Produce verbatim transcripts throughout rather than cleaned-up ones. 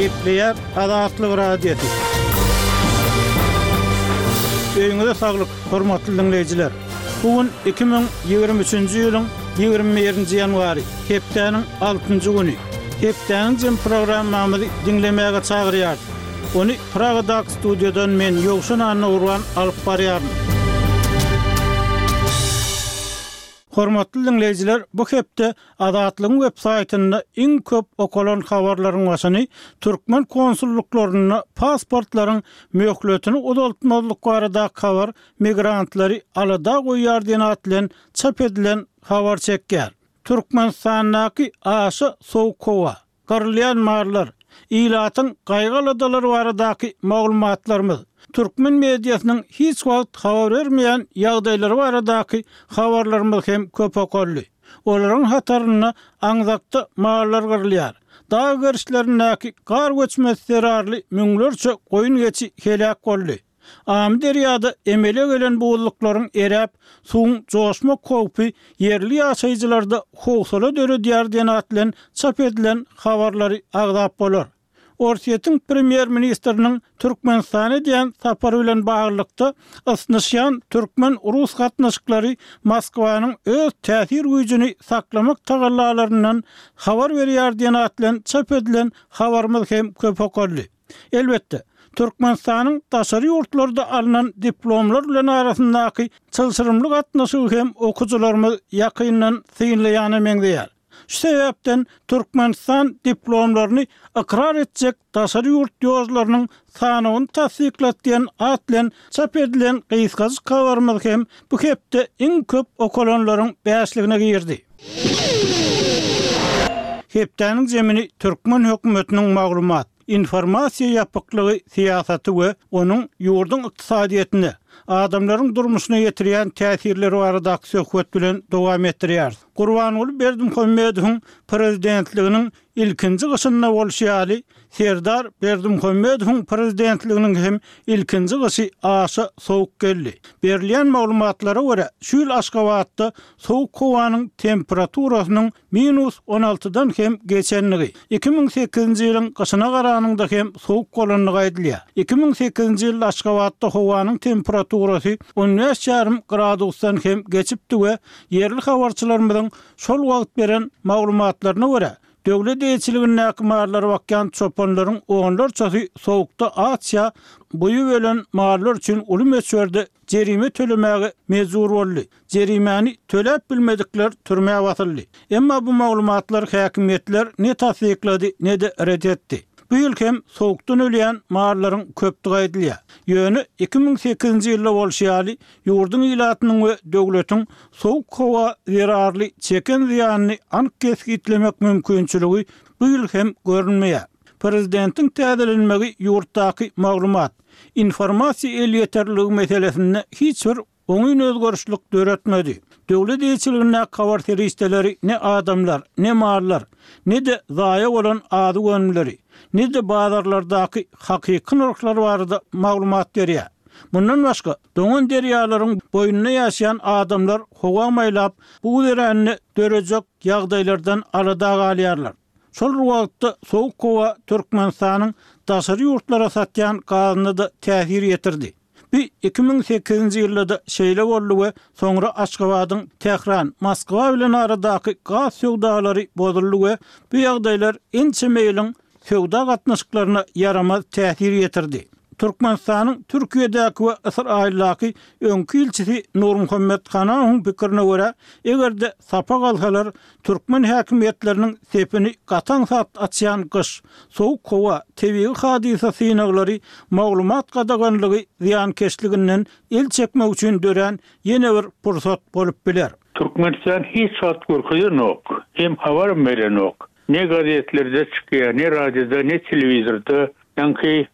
Gepleýär Azatlyk Radiosy. Öýüňize saglyk, hormatly diňleýjiler! Bu gün iki müň ýigrimi üçünji ýylyň ýigrimi birinji ýanwary, hepdäniň altynjy güni. Hepdäniň jem programmamyzy diňlemäge çagyrýarys. Ony Pragadaky studiýadan men, Ýowşan Annagurban alyp barýaryn. Hormatly diňleýjiler, bu hepde Azatlygyň web saýtynda iň köp okalan habarlaryň başyny türkmen konsullyklarynda pasportlaryň möhletini uzaltmazlyk baradaky habar migrantlary alada goýýar diýen at bilen çap edilen habar çekýär. Türkmenistandaky aşa sowuk howa, gyrylýan mallar, ilatyň gaýgy-aladalary baradaky maglumatlarymyz, türkmen mediasynyň hiç wagt habar bermeýän ýagdaýlary baradaky habarlarymyz hem köp okaldy. Olaryň hatarynda aňzakda mallar gyrylýar, dag gerişlerindäki gar göçmesi zerarly müňlerçe goýun-geçi heläk boldy. Amyderýada emele gelen buzluklaryň eräp, suwuň joşmak howpy ýerli ýaşaýjylarda howsala döredýär diýen at bilen çap edilen habarlary agzap bolar. Orsýetiň premýer-ministriniň Türkmenistana edýän sapary bilen baglylykda ysnyşýan türkmen-rus gatnaşyklary Moskwanyň öz täsir güýjüni saklamak tagallalaryndan habar berýär diýen at bilen çap edilen habarymyz hem köp okaldy. Elbetde, Türkmenistanyň daşary ýurtlarda alnan diplomlar bilen arasyndaky çylşyrymly gatnaşygy hem okyjylarymyz ýakyndan synlaýana meňzeýär. Şu sebäpden Türkmenistan diplomlaryny ykrar etjek daşary ýurt ýolcularynyň sanawyny tassyklat diýen at bilen çap edilen gysgajyk habarymyz hem bu hepde iň köp okalanlaryň bäşligine girdi. Hepdäniň zemini türkmen hökümetiniň maglumat, informasiýa ýapyklygy syýasaty we onuň ýurduň ykdysadyýetine, adamlaryň durmuşyna ýetirýän täsirleri baradaky söhbet bilen dowam etdirýäris. Gurbanguly Berdimuhamedowyň prezidentliginiň ilkinji gyşynda bolşy ýaly, Serdar Berdimuhamedowyň prezidentliginiň hem ilkinji gyşy aşa sowuk geldi. Berilýän maglumatlara görä, şu ýyl Aşgabatda sowuk howanyň temperaturasynyň minus on altydan hem geçenligi, iki müň sekizinji ýylyň gyşyna garanyňda hem sowuk bolandygy aýdylýar. Iki müň sekizinji ýylda Aşgabatda howanyň temperaturasy on bäş ýarym gradusdan hem geçipdi we ýerli habarçylarymyzyň şol wagt beren maglumatlaryna görä, döwlet eýeçiligindäki mallara bakýan çopanlaryň onlarçasy sowukda aç ýa buýup ölen mallar üçin uly möçberde jerime tölemäge mejbur boldy. Jerimäni töläp bilmedikler türmä basyldy. Emma bu maglumatlar häkimiýetler ne tassyklady, ne-de ret etdi. Bu ýyl hem sowukdan ölýän mallaryň köpdügi aýdylýar. Ýöne iki müň sekizinji ýylda bolşy ýaly, ýurduň ilatynyň we döwletiň sowuk howa zerarly çeken zyýanyny anyk kesgitlemek mümkinçiligi bu ýyl hem görünmeýär. Prezidentiň täzelenmegi ýurtdaky maglumat, informasiýa elýeterliligi meselesinde hiç bir oňyn özgerişlik döretmedi. Döwlet eýeçiligindäki habar serişdeleri ne adamlar, ne mallar, ne-de zaýa bolan azyk önümleri, ne-de bazarlardaky hakyky nyrhlar barada maglumat berýär. Mundan başga, doňan derýalaryň boýunda ýaşaýan adamlar howa maýlap, buz erände dörejek ýagdaýlardan alada galýarlar. Şol bir wagtda sowuk howa Türkmenistanyň daşary ýurtlara satýan gazyna-da täsir ýetirdi. Bu iki müň sekizinji ýylda-da şeýle boldy we soňra Aşgabadyň Tähran, Moskwa bilen aradaky gaz söwdalary bozuldy we bu ýagdaýlar ençeme ýylyň söwda gatnaşyklaryna ýaramaz täsir ýetirdi. Türkmenistanyň Türkiýedäki we Ysraýyldaky öňki ilçisi Nurmuhammet Hanawyň pikirine görä, eger-de sapak alsalar, türkmen häkimiýetleriniň sepini gataň-sat açýan gyş, sowuk howa, tebigy hadysa synaglary maglumat gadaganlygy zyýankeşliginden el çekmek üçin dörän ýene bir pursat bolup biler. Türkmenistan hiç wagt görkezenok, hem habaram berenok. Ne gazetlerde çykýar, ne radioda, ne telewizorda. Ýaňky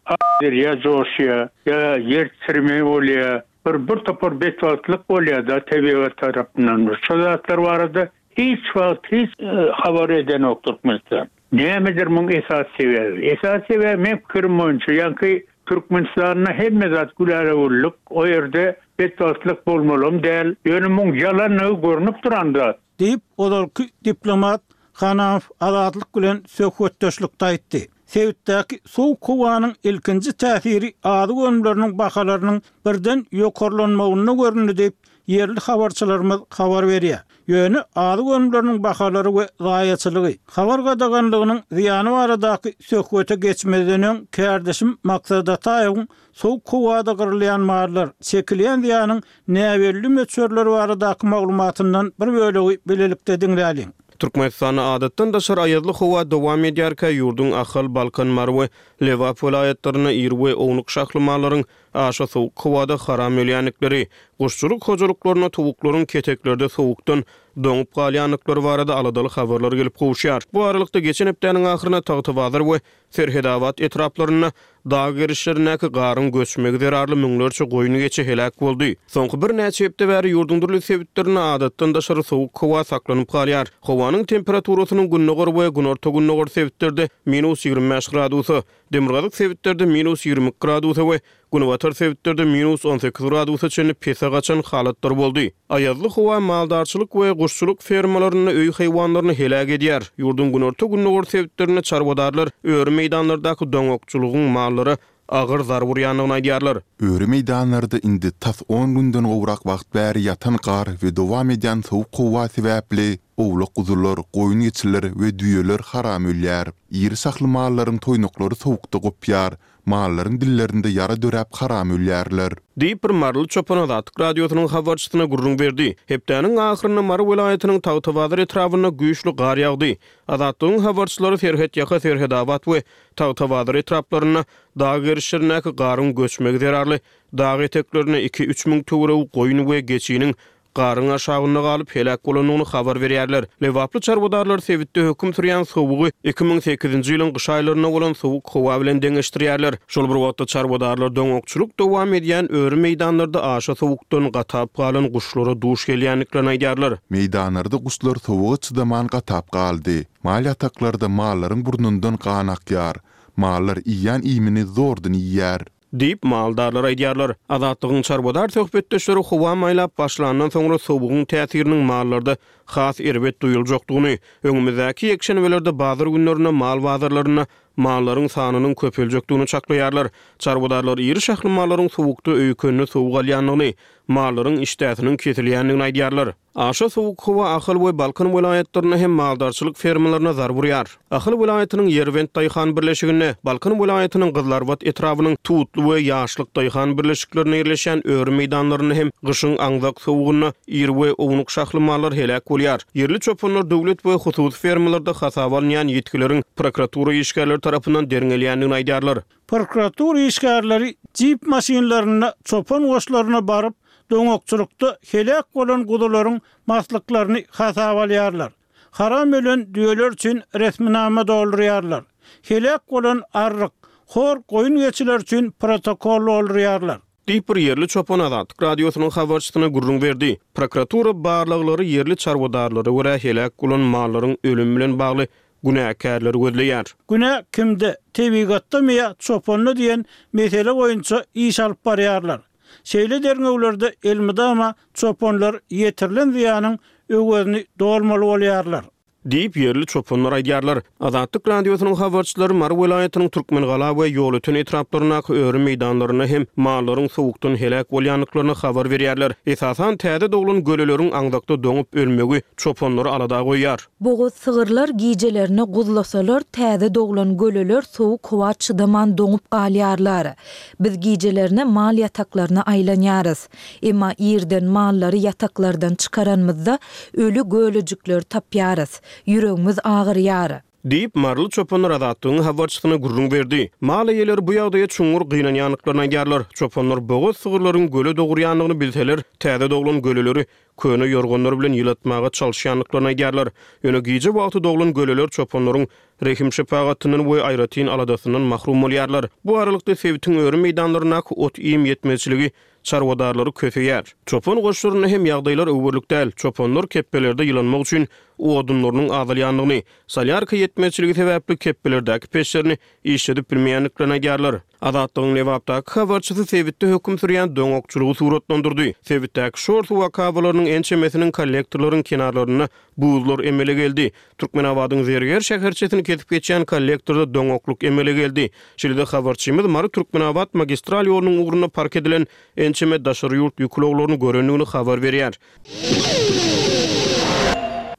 derýa joşýar, ýa ýer titreme bolýar, bir bir topar betbagtlyk bolýar-da tebigat tarapyndan. Şo zatlar barada hiç wagt hiç habar edenok Türkmenistan. Nämedir muň esasy sebäbi? Esasy sebäbi meň pikirim boýunça, ýaňky Türkmenistanda hemme zat gülala-güllük, o ýerde betbagtlyk bolmalam däl. Ýöne muň ýalanlygy görnüp duran zat. Diýip, ozalky diplomat Hanamow Azatlyk bilen söhbetdeşlikde aýtdy. Sebitdäki sowuk howanyň ilkinji täsiri azyk önümleriniň bahalarynyň birden ýokarlanmagynda göründi diýip, ýerli habarçylarymyz habar berýär. Ýöne azyk önümleriniň bahalary we zaýaçylygy, habar gadaganlygynyň zyýany baradaky söhbete geçmezden öň kärdeşim Maksat Ataýewiň sowuk howada gyrylýan mallar, çekilýän zyýanyň näbelli möçberleri baradaky maglumatyndan bir bölegi bilelikde diňläliň. Türkmenistanda adatdan daşary aýazly howa dowam edýärkä, ýurduň Ahal, Balkan, Mary we Lebap welaýatlarynda iri we ownuk şahly mallaryň aşa sowuk howada haram ölýändikleri, guşçulyk hojalyklarynda towuklaryň keteklerde sowukdan doňup galýandyklary barada aladaly habarlar gelip gowuşýar. Bu aralykda geçen hepdäniň ahyrynda Tagtabazar we Serhedabat etraplarynda dag gerişlerindäki garyň göçmegi zerarly müňlerçe goýun-geçi heläk boldy. Soňky birnäçe hepde bäri ýurduň dürli sebitlerinde adatdan daşary sowuk howa saklanyp galýar. Howanyň temperaturasynyň gündogar we günorta-gündogar sebitlerde minus ýigrimi bäş gradusa, demirgazyk sebitlerde minus ýigrimi iki gradusa we günbatar sebitlerde minus on sekiz gradusa çenli pese gaçan halatlar boldy. Aýazly howa maldarçylyk we guşçulyk fermalarynda öý haýwanlaryny heläk edýär. Ýurduň günorta-gündogar sebitlerinde çarwadarlar öri meýdanlardaky doňakçylygyň mallara agyr zarba urýandygyny aýdýarlar. Öri meýdanlarda indi tas on günden gowrak wagt bäri ýatan gar we dowam edýän sowuk howa sebäpli owlak-guzular, goýun-geçiler we düýeler haram ölýär. Iri şahly mallaryň toýnaklary sowukda gopýar, mallaryň dillerinde ýara döräp haram ölýärler. Diýip, bir maryly çopan Azatlyk Radiosynyň habarçysyna gürrüň berdi. Hepdäniň ahyrynda Mary welaýatynyň Tagtabazar etrabynda güýçli gar ýagdy. Azatlygyň habarçylary Serhetýaka, Serhedabat we Tagtabazar etraplarynda dag gerişlerindäki garyň göçmegi zerarly dag eteklerinde iki-üç müň töweregi goýun we geçiniň garyň aşagynda galyp heläk bolandygyny habar berýärler. Lebaply çarwadarlar sebitde höküm sürýän sowugy iki müň sekizinji ýylyň gyş aýlarynda bolan sowuk howa bilen deňeşdirýärler. Şol bir wagtda çarwadarlar doňakçylyk dowam edýän öri meýdanlarda aşa sowukdan gatap galan guşlara duş gelýändiklerini aýdýarlar. Meýdanlarda guşlar sowuga çydaman gatap galdy. Mal ýataklarda mallaryň burnundan gan akýar. Mallar iýýän iýmini zordan iýýär. Diýip, maldarlar aýdýarlar. Azatlygyň çarwadar söhbetdeşleri howa maýlap başlandan soňra sowugyň täsiriniň mallarda has erbet duýuljakdygyny, öňümizdäki ýekşenbelerde bazar günlerinde mal bazarlarynda mallaryň sanynyň köpeljekdigini çaklaýarlar. Çarwadarlar iri şahly mallaryň sowukda öýkenine sowuk alýandygyny, mallaryň işdäsiniň kesilýändigini aýdýarlar. Aşa sowuk howa Ahal we Balkan welaýatlarynda hem maldarçylyk fermalaryna zarba urýar. Ahal welaýatynyň Ýerbent daýhan birleşiginde, Balkan welaýatynyň Gyzlarbat etrabynyň Tutly we Ýaşlyk daýhan birleşiklerinde ýerleşýän öri meýdanlarynda hem gyşyň aňzak sowugynda iri we ownuk şahly mallar heläk bolýar. Ýerli çopanlar döwlet we hususy fermalarda hasaba alynýan ýitgileriň prokuratura işgärleri tarapyndan derňelýändigini aýdýarlar. Prokuratura işgärleri jip maşynlarynda çopan goşlaryna baryp, doňakçylykda heläk bolan guzularyň maslyklaryny hasaba alýarlar. Haram ölen düýeler üçin resminama doldurýarlar. Heläk bolan arryk, hor goýun geçiler üçin protokol doldurýarlar. Diýip, bir ýerli çopan Azatlyk Radiosynyň habarçysyna gürrüň berdi. Prokuratura barlaglary ýerli çarwadarlara görä heläk bolan mallaryň ölümi bilen bagly günäkärleri gözleýär. Günä kimde, tebigatdamy ýa çopanda diýen mesele boýunça iş alyp barýarlar. Şeýle derňewlerde elmydama çopanlar ýetirilen zyýanyň öwezini dolmaly bolýarlar. Diýip, ýerli çopanlar aýdýarlar. Azatlyk Radiosynyň habarçylary Mary welaýatynyň Türkmengala we Ýolöten etraplaryndaky öri meýdanlarynda hem mallaryň sowukdan heläk bolýandyklaryny habar berýärler. Esasan, täze doglan göleleriň aňzakda doňup ölmegi çopanlary alada goýýar. Bogaz sygyrlar gijelerine guzlasalar, täze doglan göleler sowuk howa çydaman doňup galýarlar. Biz gijelerine mal ýataklaryna aýlanýarys. Emma irden mallary ýataklardan çykaranymyzda öli gölejikleri tapýarys. Ýüregimiz agyrýar. Diýip, maryly çopanlar Azatlygyň habarçysyna gürrüň berdi. Mal eýeleri bu ýagdaýa çuňňur gynanýandyklaryny aýdýarlar. Çopanlar bogaz sygyrlaryň göle dogurýandygyny bilseler, täze doglan göleleri köne ýorganlar bilen ýylatmaga çalyşýandyklaryny aýdýarlar. Ýöne gije wagty doglan göleler çopanlaryň rehim-şepagatyndan we aýratyn aladasyndan mahrum bolýarlar. Bu aralykda sebitiň öri meýdanlaryndaky ot-iým ýetmezçiligi çarwadarlary köseýär. Çopan goşlarynda hem ýagdaýlar öwerlik däl. Çopanlar kepbelerde ýylanmak üçin odunlarynyň azalýandygyny, solýarka ýetmezçiligi sebäpli kepbelerdäki peçlerini işledip bilmeýändiklerini aýdýarlar. Azatlygyň Lebapdaky habarçysy sebitde höküm sürýän doňakçylygy suratlandyrdy. Sebitdäki şor suw akabalarynyň ençemesiniň kollektorlaryň kenarlarynda buzlar emele geldi. Türkmenabadyň Zerger şäherçesini kesip geçýän kollektorda doňaklyk emele geldi. Şeýle-de habarçymyz Mary-Türkmenabat magistral ýolunyň ugrunda park edilen ençeme daşary ýurt ýük ulaglaryny görendigini habar berýär.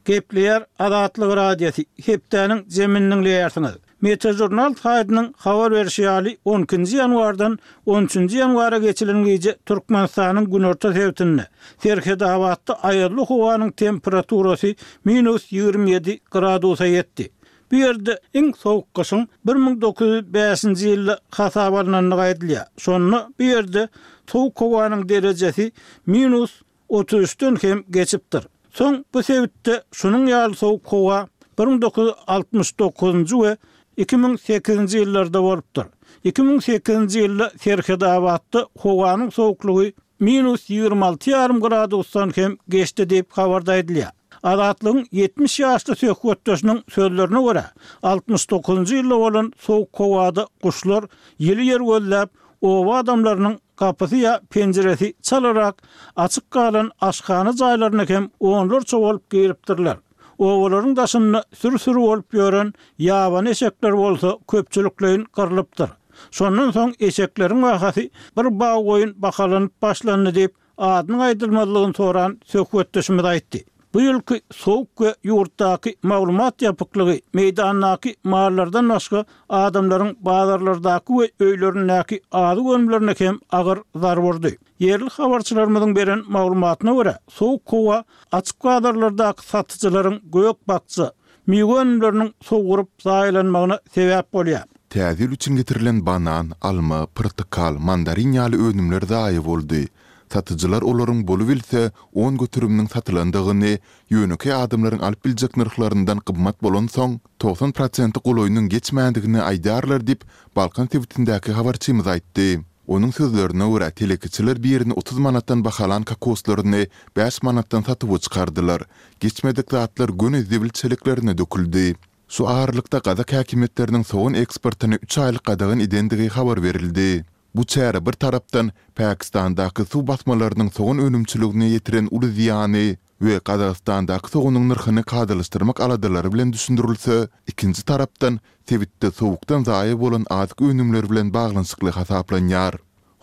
Gepleýär Azatlyk Radiosy, hepdäniň jemini diňleýärsiňiz. Metažurnal saýtynyň habar berşi ýaly, on ikinji ýanwardan on üçünji ýanwara geçilen gije Türkmenistanyň günorta sebitinde, Serhetabatda aýazly howanyň temperaturasy minus ýigrimi ýedi gradusa ýetdi. Bu ýerde iň sowuk gyşyň bir müň dokuz ýüz bäşinji ýylda hasaba alnandygy aýdylýar. Şonda bu ýerde sowuk howanyň derejesi minus otuz üçden hem geçipdir. Soň bu sebitde şunuň ýaly sowuk howa bir müň dokuz ýüz altmyş dokuzynjy we iki müň sekizinji ýyllarda bolupdyr. Iki müň sekizinji ýylda Serhetabatda howanyň sowuklygy minus ýigrimi alty ýarym gradusdan hem geçdi diýip habarda aýdylýar. Azatlygyň ýetmiş ýaşly söhbetdeşiniň sözlerine görä, altmyş dokuzynjy ýylda bolan sowuk howada guşlar ýyly ýer gözläp, oba adamlarynyň gapysy ýa penjiresi çalarak açyk galan aşhana jaýlaryna hem onlarça bolup giripdirler. Obalaryň daşynda sürü-sürü bolup ýören ýabany eşekler bolsa köpçülikleýin gyrlypdyr. Şondan soň eşekleriň bahasy bir bag goýun bahalanyp başlandy diýip, adynyň aýdylmazlygyny soran söhbetdeşimiz aýtdy. Bu ýylky sowuk we ýurtdaky maglumat ýapyklygy meýdandaky mallardan başga adamlaryň bazarlardaky we öýlerindäki azyk önümlerine hem agyr zarba urdy. Ýerli habarçylarymyzyň beren maglumatyna görä, sowuk howa açyk bazarlardaky satyjylaryň gök-bakja, miwe önümleriniň sowuryp zaýalanmagyna sebäp bolýar. Täze ýyl üçin getirilen banan, alma, pyrtykal, mandarin ýaly önümler zaýa boldy. Satyjylar olaryň bolubilse on göteriminiň satylandygyny, ýönekeý adamlaryň alyp biljek nyrhlaryndan gymmat bolansoň, togsan prosenti golaýynyň geçmändigini aýdýarlar diýip, Balkan sebitindäki habarçymyz aýtdy. Onuň sözlerine görä, telekeçiler birini otuz manatdan bahalan kokoslaryny bäş manatdan satuwa çykardylar. Geçmedik zatlar göni zibil çeleklerine döküldi. Şu aralykda gazak häkimiýetleriniň sogan eksportyny üç aýlyk gadagan edendigi habar berildi. Bu çäre bir tarapdan Pakistandaky suw basmalarynyň sogan önümçiligine ýetiren uly zyýany we Gazagystandaky soganyň nyrhyny kadalaşdyrmak aladalary bilen düşündirilse, ikinji tarapdan sebitde sowukdan zaýa bolan azyk önümleri bilen baglanyşykly hasaplanýar.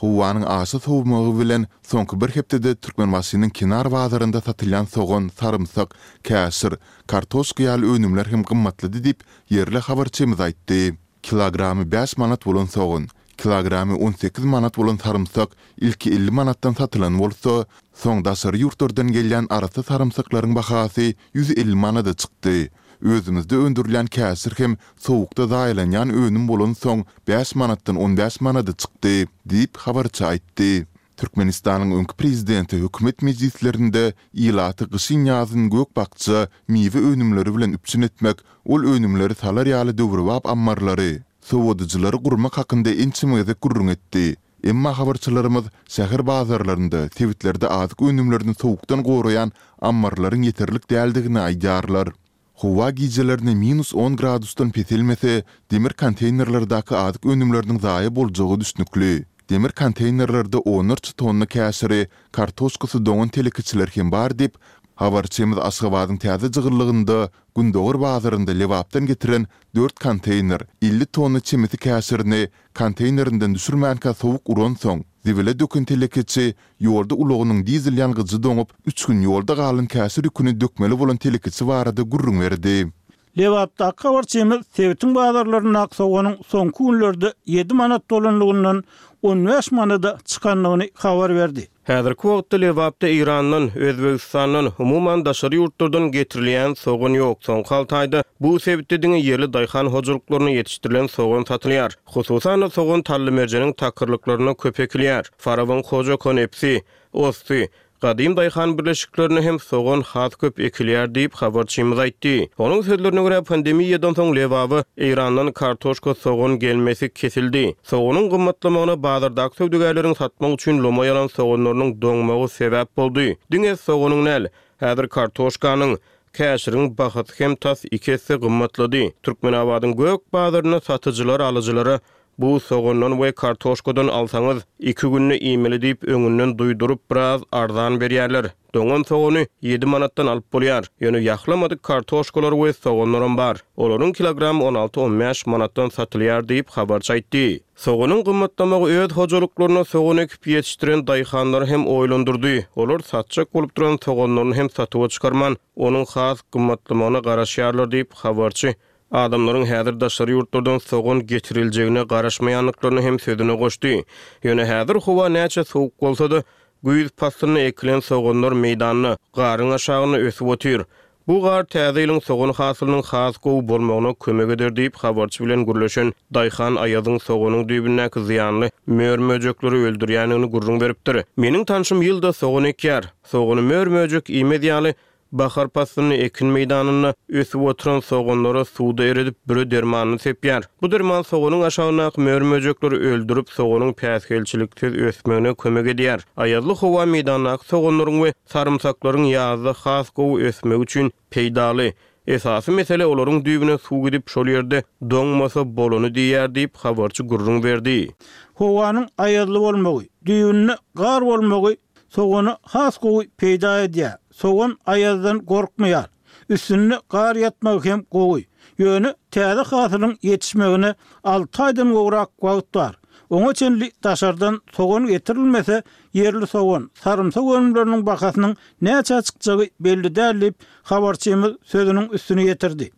Howanyň aşa sowmagy bilen soňky bir hepdede Türkmenbaşynyň kenar bazarynda satylýan sogan, sarymsak, käşir, kartoşka ýaly önümler hem gymmatlady diýip, ýerli habarçymyz aýtdy. Kilogramy bäş manat bolan sogan, kilogramy on sekiz manat bolan sarymsak ilki elli manatdan satylan bolsa, soň daşary ýurtlardan gelýän arassa sarymsaklaryň bahasy ýüz elli manada çykdy. Özümizde öndürilýän käşir hem sowukda zaýalanýan önüm bolansoň bäş manatdan on bäş manada çykdy, diýip, habarçy aýtdy. Türkmenistanyň öňki prezidenti hökümet mejlislerinde ilaty gyşyn-ýazyn gök-bakja, miwe önümleri bilen üpjün etmek, ol önümleri salar ýaly döwrebap ammarlary, sowadyjylary gurmak hakynda ençeme gezek gürrüň etdi. Emma habarçylarymyz şäher bazarlarynda, sebitlerde azyk önümlerini sowukdan goraýan ammarlaryň ýeterlik däldigini aýdýarlar. Howa gijelerine minus on gradusdan peselmese, demir konteýnerlerdäki azyk önümleriniň zaýa boljagy düşnükli. Demir konteýnerlerde onlarça tonna käşiri, kartoşkasy doňan telekeçiler hem bar diýip, habarçymyz Aşgabadyň täze jygyllygynda Gündogar bazarynda Lebapdan getiren dört konteýner, elli tonna çemesi käşirini konteýnerinden düşürmänkä sowuk uransoň, zibile döken telekeçi ýolda ulagynyň dizel ýangyjy doňup, üç gün ýolda galan käşir ýüküni dökmeli bolan telekeçi barada gürrüň berdi. Lebapdaky habarçymyz sebitiň bazarlaryndaky soganyň soňky günlerde ýedi manat bolanlygyndan on bäş manada çykandygyny habar berdi. Häzirki wagtda Lebapda Eýrandan, Özbegistandan, umuman daşary ýurtlardan getirilýän sogan ýok. Soňky alty aýda bu sebitde diňe ýerli daýhan hojalyklarynda ýetişdirilen sogan satylýar. Hususan-da, sogan Tallymerjeniň takyrlyklarynda köp ekilýär. Farabyň Hoja Konepsi, Osty, Gadym daýhan birleşiklerinde hem sogan has köp ekilýär diýip, habarçymyz aýtdy. Onuň sözlerine görä, pandemiýadan soň Lebaba Eýrandan kartoşka, sogan gelmesi kesildi. Soganyň gymmatlamagyna bazardaky söwdagärleriň satmak üçin lomaý alan soganlarynyň doňmagy sebäp boldy. Diňe soganyň däl, häzir kartoşkanyň, käşiriň bahasy hem tas iki esse gymmatlady. Türkmenabadyň gök bazarynda satyjylar alyjylara bu sogandan we kartoşkadan alsaňyz iki günde iýmeli diýip öňünden duýduryp biraz arzan berýärler. Doňan sogany ýedi manatdan alyp bolýar. Ýöne ýahlamadyk kartoşkalar we soganlaram bar. Olaryň kilogram on alty on bäş manatdan satylýar diýip habarçy aýtdy. Soganyň gymmatlamagy öz hojalyklaryna sogan ekip ýetişdiren daýhanlary hem oýlandyrdy. Olar satjak bolup duran soganlaryny hem satuwa çykarman, onuň has gymmatlamagyna garaşýarlar diýip habarçy adamlaryň häzir daşary ýurtlardan sogan getiriljegine garaşmaýandyklaryny hem sözüne goşdy. Ýöne häzir howa näçe sowuk bolsa-da, güýz paslynda ekilen soganlar meýdanda, garyň aşagynda ösüp otyr. Bu gar täze ýylyň sogan hasylynyň has gowy bolmagyna kömek eder diýip habarçy bilen gürleşen Daýhan Aýazyň soganyň düýbündäki zyýanly mör-möjekleri öldürýändigini gürrüň beripdir. Meniň tanşym ýylda sogan ekýär. Sogany mör-möjek iýmez ýaly bahar paslynda ekin meýdanynda ösüp oturan soganlara suwda eredip büre dermanyny sepýär. Bu derman soganyň aşagyndaky mör-möjekleri öldürip soganyň päsgelçiliksiz ösmegine kömek edýär. Aýazly howa meýdandaky soganlaryň we sarymsaklaryň ýazda has gowy ösmegi üçin peýdaly. Esasy mesele olaryň düýbüne suw gidip şol ýerde doňmasa bolany diýýär diýip habarçy gürrüň berdi. Howanyň aýazly bolmagy, düýbünde gar bolmagy sogany has gowy peýda edýär. Sogan aýazdan gorkmaýar. Üstünde gar ýatmagy hem gowy. Ýöne täze hasylyň ýetişmegine alty aýdan gowrak wagt bar. Oňa çenli daşardan sogan getirilmese, ýerli sogan, sarymsak önümleriniň bahasynyň näçe çykjagy belli däl diýip habarçymyz sözüniň üstüne ýetirdi.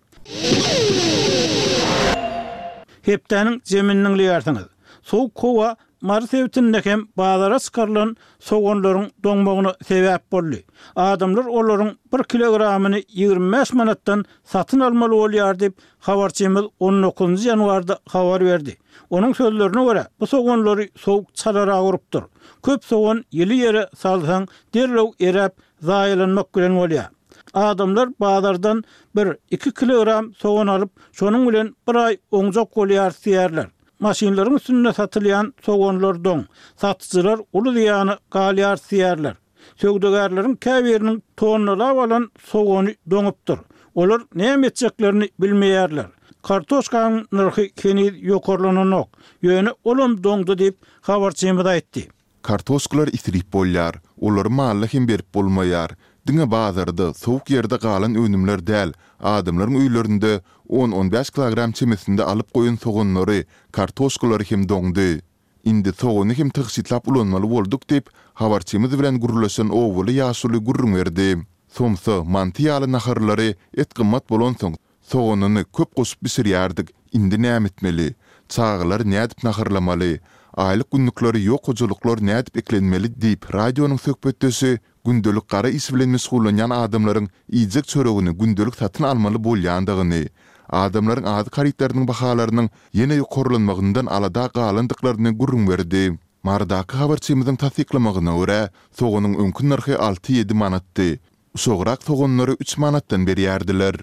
Hepdäniň zeminini diňleýärsiňiz. Soğuk howa Mary sebitinde hem bazara çykarylan soganlaryň doňmagyna sebäp boldy. Adamlar olaryň bir kilogramyny ýigrimi bäş manatdan satyn almaly bolýar diýip habarçymyz on dokuzynjy ýanwarda habar berdi. Onuň sözlerine görä, bu soganlary soğuk çalara urupdyr. Köp sogan ýyly ýere salsaň derrew eräp zaýalanmak bilen bolýar. Adamlar bazardan bir iki kilogram sogan alyp, şonuň bilen bir aý oňjak bolýar diýerler. Maşynlaryň üstünde satylýan soganlar doň, satyjylar uly zyýany galýar diýerler. Söwdagärleriň käbiriniň tonnalap alan sogany doňupdyr. Olar näme etjeklerini bilmeýärler. Kartoşkanyň nyrhy heniz ýokarlananok. Ýöne olam doňdy diýip habarçymyz aýtdy. Kartoşkalar isrip bolýar. Olary malla hem berip bolmaýar. Diňe bazarda, soğuk ýerde galan önümler däl, adamlaryň öýlerinde on-on bäş kilogram çemesinde alyp goýan soganlary, kartoşkalary hem doňdy. Indi sogany hem tygşytlap ulanmaly bolduk diýip, habarçymyz bilen gürleşen owaly ýaşuly gürrüň berdi. Somsa, manty ýaly naharlary et gymmat bolansoň, soganyny köp goşup bişirýärdik. Indi näme etmeli? Çagalar nädip naharlamaly? Aýlyk günlükleri ýok hojalyklar nädip eklenmeli diýip radionyň söhbetdeşi gündelik gara iş bilen meşgullanýan adamlaryň iýjek çöregini gündelik satyn almaly bolýandygyny, adamlaryň azyk harytlarynyň bahalarynyň ýene ýokarlanmagyndan alada galandyklaryny gürrüň berdi. Marydaky habarçymyzyň tassyklamagyna görä, soganyň öňki nyrhy alty ýedi manatdy. Uşagrak soganlary üç manatdan berýärdiler.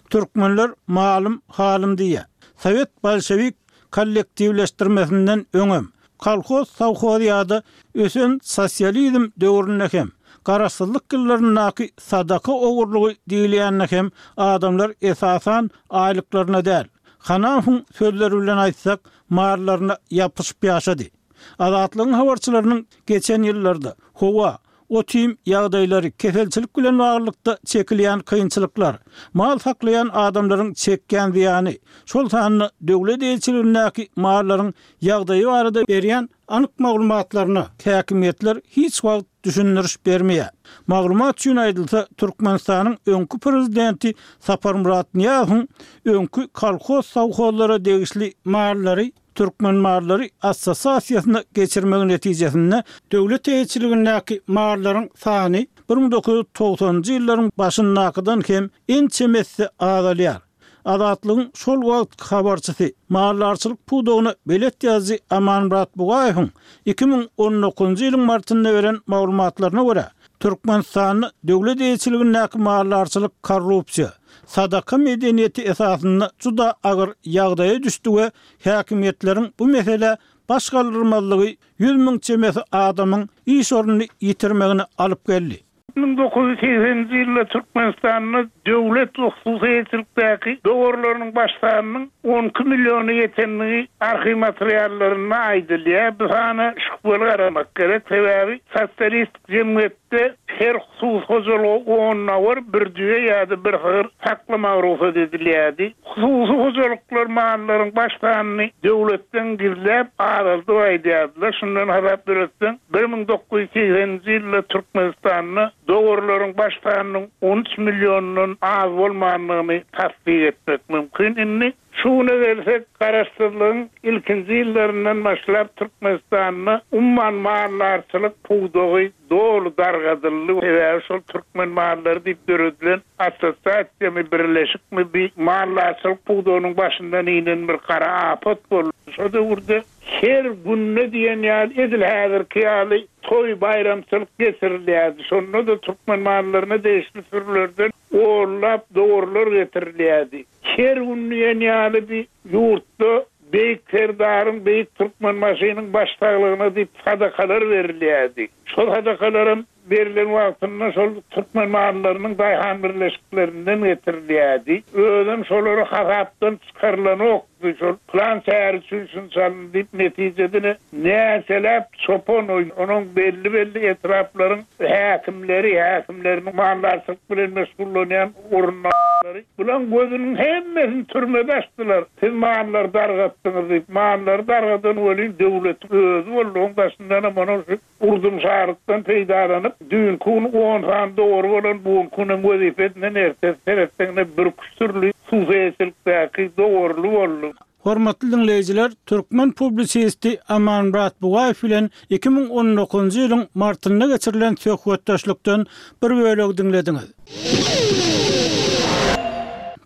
Türkmenler malum halym diýe. Sowet bolşewik kollektiwleşdirmesinden öňem, kolxoz sowxoz ýa-da ösen sosializm döwründe hem, garaşsyzlyk ýyllaryndaky sadaka ogurlygy diýilýände hem adamlar esasan aýlyklaryna däl, Hanafyň sözleri bilen aýtsak, mallaryna ýapyşyp ýaşady. Azatlygyň habarçylarynyň geçen ýyllarda howa, otim ýagdaýlary, keselçilik bilen baglylykda çekilýän kynçylyklar, mal saklaýan adamlaryň çekýän zyýany, şol sanda döwlet eýeçiligindäki mallaryň ýagdaýy barada berýän anyk maglumatlaryna häkimiýetler hiç wagt düşündiriş bermeýär. Maglumat üçin aýdylsa, Türkmenistanyň öňki prezidenti Saparmyrat Nyýazowyň öňki kolxoz sowhozlara degişli mallary Türkmen mallary assosiasiýasyna geçirmegiň netijesinde döwlet eýeçiligindäki mallaryň sany bir müň dokuz ýüz togsanynjy ýyllaryň başyndakydan hem ençemesi azalýar. Azatlygyň şol wagt habarçysy mallarçylyk pudagyna belet ýazyjy Amanmyrat Bugaýewiň iki müň on dokuzynjy ýylyň martynda beren maglumatlaryna görä, Türkmenistanda döwlet eýeçiligindäki mallarçylyk korrupsiýa, sadaka medeniýeti esasynda juda agyr ýagdaýa düşdi we häkimiýetleriň bu mesele baş galdyrmazlygy ýüz müň çemesi adamyň iş ornuny ýitirmegine alyp geldi. Müň dokuz ýüz segseninji ýylda Türkmenistanda döwlet we hususy eýeçilikdäki dowarlarynyň baş sanynyň on iki milliona ýetendigi arhiw materiallarynda aýdylýar. Bu sana şübheli garamak gerek, sebäbi sosialistik jemgyýetde her hususy hojalyga on dowar, bir düýe ýa-da bir sygyr saklamaga rugsat edilýärdi. Hususy hojalyklar mallaryň baş sanyny döwletden gizläp azaldyp aýdýardylar. Şundan hasap ýöretseň, bir müň dokuz ýüz segseninji ýylda Türkmenistanda dowarlaryň baş sanynyň on üç milliondan az bolmandygyny tassyk etmek mümkin. Indi şu güne gelsek, Garaşsyzlygyň ilkinji ýyllaryndan başlap Türkmenistanda umuman maldarçylyk pudagy doly dargadyldy. Sebäbi şol türkmen mallary diýip döredilen assosiasiýamy, birleşikmi bir maldarçylyk pudagynyň başyndan inen bir gara apat boldy. Şo döwürde her günde diýen ýaly edil häzirki ýaly toý baýramçylyk geçirilýärdi. Şonda-da türkmen mallaryna degişli sürülerden onlap dowarlar getirilýärdi. Her gün diýen ýaly bir ýurtda Beýik Serdaryň, Beýik Türkmenbaşynyň baş saglygyna diýip sadakalar berilýärdi. Şol sadakalaram berilen wagtynda şol türkmen mallarynyň daýhan birleşiklerinden getirilýärdi. Özem şolary hasapdan çykarylanokdy. Şol plan çäre üçin şunça alyndy diýip netijede näçeläp çopan onuň belli-belli etraplaryň häkimleri, häkimleriniň maldarçylyk bilen meşgullanýan orunlary bulan gözüniň hemmesini türmede açdylar. Siz mallary dargatdyňyz diýip, mallary dargadan welin döwlet özi boldy. Onuň daşyndanam onuň şu urdum şarykdan peýdalanyp, düýnki gün on sany dogry bolan bu günüň wezipesinden ertesi seretseňde bir küsürli hususyýetçilikdäki dogruly boldy. Hormatly dinleýjiler, türkmen publisisti Amanmyrat Bugaýew bilen iki müň on dokuzynjy ýylyň martynda geçirilen söhbetdeşlikden bir bölegi diňlediňiz.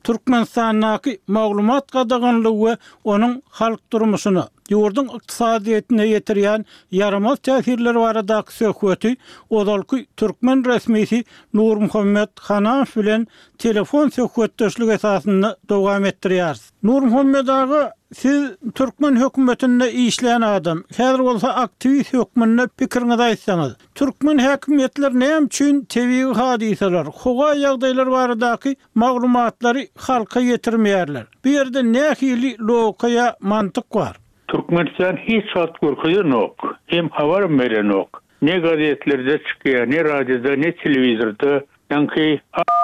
Türkmenistandaky maglumat gadaganlygy we onuň halk durmuşyna, ýurduň ykdysadyýetine ýetirýän ýaramaz täsirleri baradaky söhbeti ozalky türkmen resmisi Nurmuhammet Hanamow bilen telefon söhbetdeşlik esasynda dowam etdirýäris. Nurmuhammet aga, siz türkmen hökümetinde işleýän adam, häzir bolsa aktiwist hökmünde pikiriňizi aýtsaňyz, türkmen häkimiýetleri näme üçin tebigy hadysalar, howa ýagdaýlary baradaky maglumatlary halka ýetirmeýärler? Bu ýerde nähili logika ýa mantyk bar? Türkmenistan hiç wagt görkezenok, hem habar berenok. Ne gazetlerde çykýar, ne radioda, ne telewizorda. Ýaňky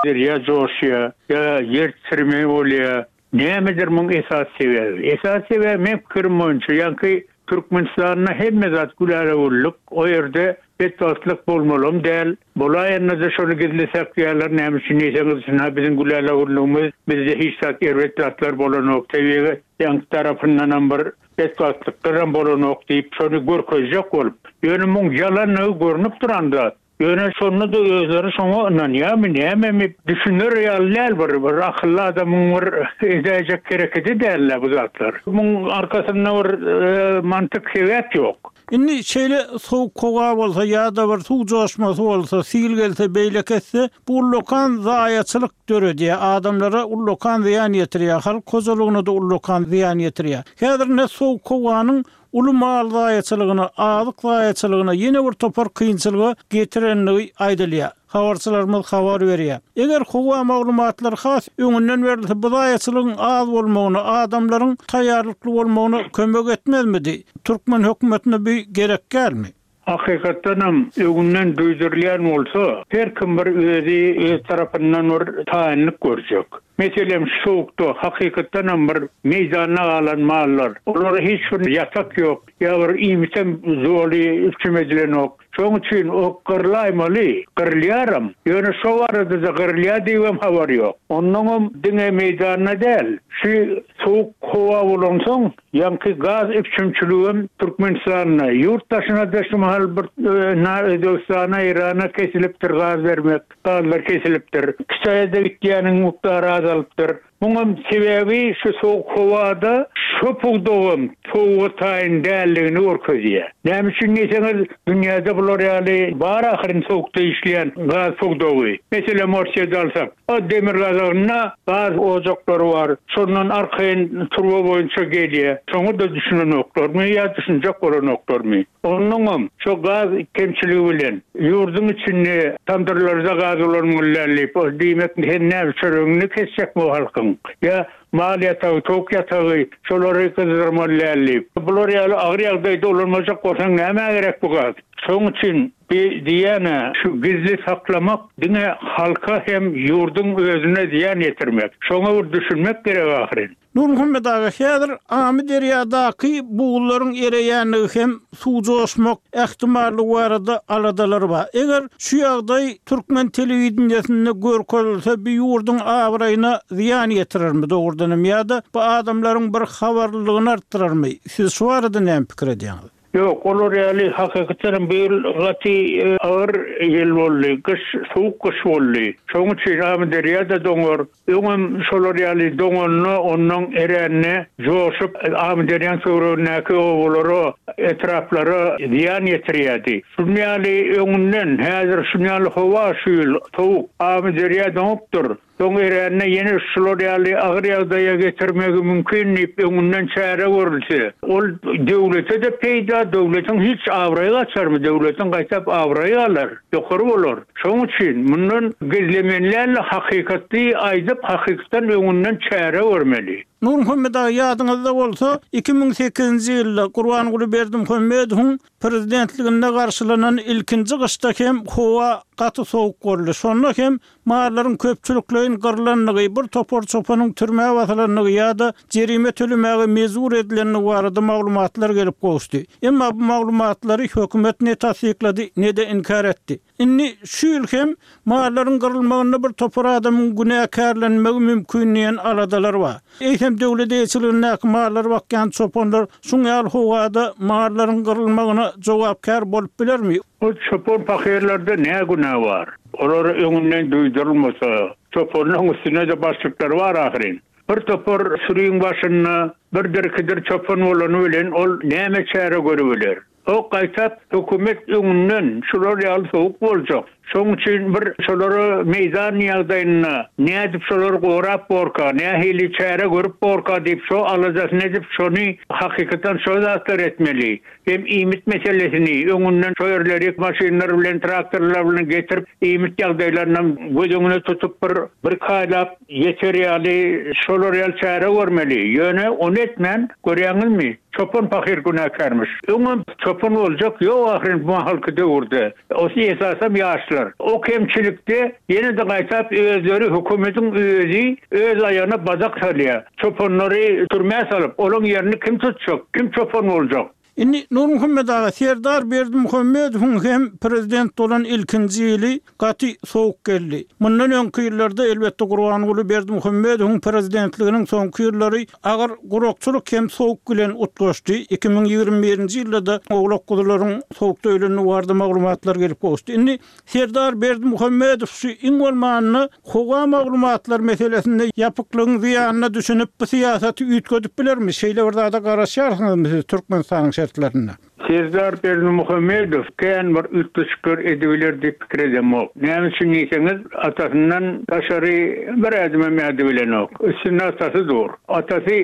derýa joşýar, ýa ýer titreme bolýar. Nämedir muň esas sebäbi? Esas sebäbi men pikirim boýunça, ýaňky Türkmenistanda hemme zat güläle güllük, o ýerde betbagtlyk bolmalym däl. Bolaýanda-da şony gizli saklaýarlar, näme üçin diýseňiz, şuna biziň güläle güllügimiz, bizde hiç zat erbet zatlar bolanok, tebigy ýaňky tarapyndanam bir betbagtlyklar bolanok diýip şony görkezjek bolup. Ýöne muň ýalanlygy görünip duran zat. Ýöne şonda da özleri şoňa ynanýarmy, nämemi düşüner ýaly däl bir, bir akylly adamyň bir edäýjek hereketi däl bu zatlar. Muň arkasynda bir, e, mantyk sebäp ýok. Indi şeýle sowuk howa bolsa ýa-da bir suw joşmasy bolsa, sil gelse, beýle kesse, bu ullakan zaýaçylyk döredýär. Adamlara ullakan zyýan ýetirýär, halk hojalygyna da ullakan zyýan ýetirýär. Häzir ne sowuk howanyň uly mal zaýaçylygyna, azyk zaýaçylygyna ýene bir topar kynçylyga getirenligi aýdylýar. Habarçylarymyz habar berýär. Eger howa maglumatlary has öňünden berilse, bu zaýaçylygyň az bolmagyna, adamlaryň taýýarlykly bolmagyna kömek etmezmidi? Türkmen hökümetine bir gerek gelmi? Hakykatdanam öňünden duýdurylýan bolsa, her kim bir özi öz tarapyndan bir taýynlyk görjek. Meselem, soğukda hakykatdanam bir meýdanda galan mallar, olara hiç bir ýatak ýok, ýa bir iýmitem zoly üpjün edilenok. Şonuň üçin o gyrlaýmaly, gyrylýaram. Ýöne şo barada da gyrylýar diýibem habar ýok. Onnoňam diňe meýdanda däl, şu soğuk howa bolansoň, ýaňky gaz üpjünçiligem Türkmenistanda, ýurt daşyna da şu mahal bir, e, na Özbegistana, Irana kesilipdir gaz bermek, gazlar kesilipdir. Hytaýda gitýäniň mukdary azalypdyr. Muňam sebäbi şu soğuk howada Şo pudagam sowuga taýyn däldigini görkezýär. Näme üçin diýseňiz, dünýäde bular ýaly bar ahyryn sowukda işleýän gaz pudagy. Meselem, Orsýeti alsak, o demirgazygynda gaz ojaklary bar. Şondan arkaýyn turba boýunça gelýär. Şoňa-da düşünenoklarmy ýa düşünjek bolanoklarmy? Onnoňam şo gaz kemçiligi bilen ýurduň içinde tamdyrlarda gaz ulanmaly däl diýip, o diýmek sen näme çöregiňi kesjekmi o halkyň? Ýa mal ýatagy, towuk ýatagy şolary gyzdyrmaly däl diýip. Bular ýaly agyr ýagdaýda ulanmajak bolsaň nämä gerek bu gaz? Şonuň üçin bi diýýän-ä, şu gizli saklamak diňe halka hem ýurduň özüne zyýan ýetirmek. Şoňa bir düşünmek gerek ahyryn. Nurmuhammet aga, häzir Amyderýadaky buglaryň ereýänligi hem suw joşmak ähtimallygy barada aladalar bar. Eger şu ýagdaý türkmen telewideniýesinde görkezilse, bir ýurduň abraýyna zyýan ýetirermi dogrudan hem ýa-da bu adamlaryň bir habarlylygyny artdyrarmy? Siz şu barada näme pikir edýäňiz? Ýok, olar ýaly hakykatdan bu ýyl gaty agyr ýyl boldy. Gyş, sowuk gyş boldy. Şonuň üçin Amyderýada doňar. Öňem şolar ýaly doňanda, ondan eränine joşup Amyderýanyň töweregindäki obalara, etraplara zyýan ýetirýärdi. Şuny ýaly öňünden häzir şuny ýaly howa şu ýyl sowuk Amyderýa doňupdyr. Soň eränine ýene şular ýaly agyr ýagdaýa getirmegi mümkin diýip öňünden çäre görülse, ol döwlete-de peýda, döwletiň hiç abraýy gaçarmy, döwletiň gaýtap abraýy galar, ýokary bolar. Şonuň üçin mundan gizlemenlerle hakykaty aýdyp, hakykatdan öňünden çäre görmeli. Nurmuhammet aga, ýadyňyzda bolsa, iki müň sekizinji ýylda Gurbanguly Berdimuhamedowyň prezidentliginde garşylanan ilkinji gyşda hem howa gaty sowuk boldy. Şonda hem mallaryň köpçülikleýin gyrlandygy, bir topar çopanyň türmä basylandygy ýa-da jerime tölemäge mejbur edilendigi barada maglumatlar gelip gowuşdy. Emma bu maglumatlary hökümet ne tasdiklady, ne de inkar etdi. Indi şu ýyl hem mallaryň gyrylmagynda bir topar adamyň günäkärlenmegi mümkin diýen aladalar bar. Eýsem döwlet eýeçiligindäki mallar bakýan çopanlar şuň ýaly howada mallaryň gyrylmagyna jogapkär bolup bilermi? O çopan fakirlerde ne günä bar? Olar öňünden duýdurylmasa, çopanlaryň üstünde de başlyklary bar ahyryn. Bir topar sürüň başynda bir dirkidir çopan bolany bilen ol näme çäre görübiler? O gaýtap hökümet öňünden şular ýaly sowuk boljak. Şonuň üçin bir şolara meýdan ýagdaýyna nädip şolar gorap borka, nähili çäre görüp borka diýip şo alajasyny edip şony hakykatdan şo zatlar etmeli. Hem iýmit meselesini öňünden şo ýerleri maşynlar bilen, traktorlar bilen getirip iýmit ýagdaýlaryny göz öňüne tutup bir, bir kaýlap ýeter ýaly şolar ýaly çäre görmeli. Ýöne ony etmän görýäňizmi? Çopan fakir günäkärmiş. Öňem çopan boljak ýok ahyryn bu mahalky döwürde. Osy esasam ýaşlar. O kemçilikde ýene de gaýtap özleri hökümetiň özi öz aýagyna badak salýar. Çopanlary türmä salyp, olaň ýerini kim tutjak? Kim çopan boljak? Indi Nurmuhammet aga, Serdar Berdimuhamedowyň hem prezident bolan ilkinji ýyly gaty sowuk geldi. Mundan öňki ýyllarda elbetde Gurbanguly Berdimuhamedowyň prezidentliginiň soňky ýyllary agyr gurakçylyk hem sowuk bilen utgaşdy. Iki müň ýigrimi birinji ýylda da owlak guzularyň sowukda ölenini barada maglumatlar gelip gowuşdy. Indi Serdar Berdimuhamedow şu iň bolmanda howa maglumatlar meselesinde ýapyklygyň zyýanyna düşünip bu syýasaty üýtgedip bilermi? Şeýle bir zada garaşýarsyňyzmy siz Türkmenistanyň şertlerinde? Serdar Berdimuhamedow kän bir üýtgeşikler edibiler diýip pikir edemok. Näme üçin diýseňiz, atasyndan daşary bir ädim hem ädibilenok. Üstünde atasy dur. Atasy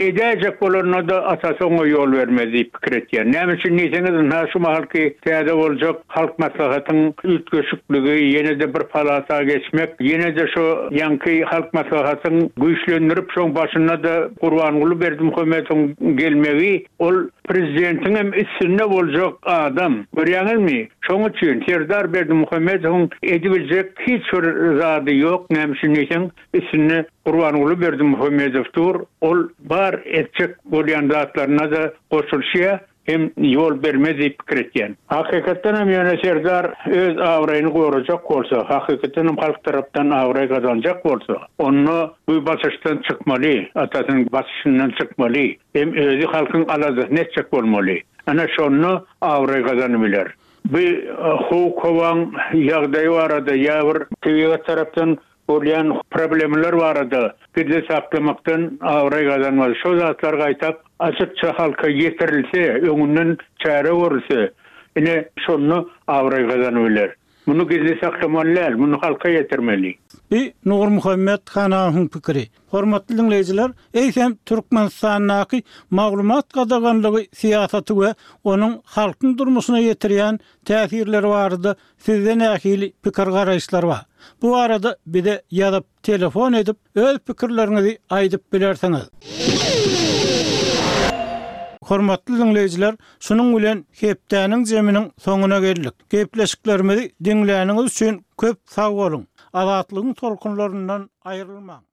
edäjek bolanda da atasy oňa ýol bermez diýip pikir etýär. Näme üçin diýseňiz, ynha şu mahalky täze boljak halk maslahatyň üýtgeşikligi, ýene de bir palata geçmek, ýene de şu ýaňky halk maslahatyň güýçlendirip şoň başynda da Gurbanguly Berdimuhamedowyň gelmegi ol prezidentiň hem üstünde boljak adam. Görýäňizmi? Şonuň üçin Serdar Berdimuhamedowyň edibiljek hiç bir zady ýok. Näme üçin diýseň, üstünde Gurbanguly Berdimuhamedow dur. Ol bar etjek bolýan zatlaryna da goşulşýar, hem ýol bermez diýip pikir etýän. Hakykatdan hem ýöne Serdar öz abraýyny gorajak bolsa, hakykatdan hem halk tarapdan abraý gazanjak bolsa, onda bu basyşdan çykmaly, atasynyň basyşyndan çykmaly, hem özi halkyň aladasyny etjek bolmaly. Ana şonda abraý gazanyp biler. Bu howuk howaň ýagdaýy barada ýa bir tebigat tarapdan Bolýan problemalar barada gizli saklamakdan abraý gazanmaz. Şo zatlar gaýtak açykça halka ýetirilse, öňünden çäre görülse, ine, şonda abraý gazanyp biler. Muny gizli saklamaly däl, muny halka ýetirmeli. Bi Nurmuhammet Hanawyň pikiri. Hormatly diňleýjiler, eýsem Türkmenistandaky maglumat gadaganlygy syýasaty we onuň halkyň durmuşyna ýetirýän täsirleri barada sizde nähili pikir-garaýyşlar bar? Bu barada bize ýazyp, telefon edip, öz pikirleriňizi aýdyp bilersiňiz. Hormatly diňleýjiler, şunuň bilen hepdäniň jeminiň soňuna geldik. Gepleşiklerimizi diňläniňiz üçin köp sag boluň! Azatlygyň tolkunlaryndan aýrylmaň!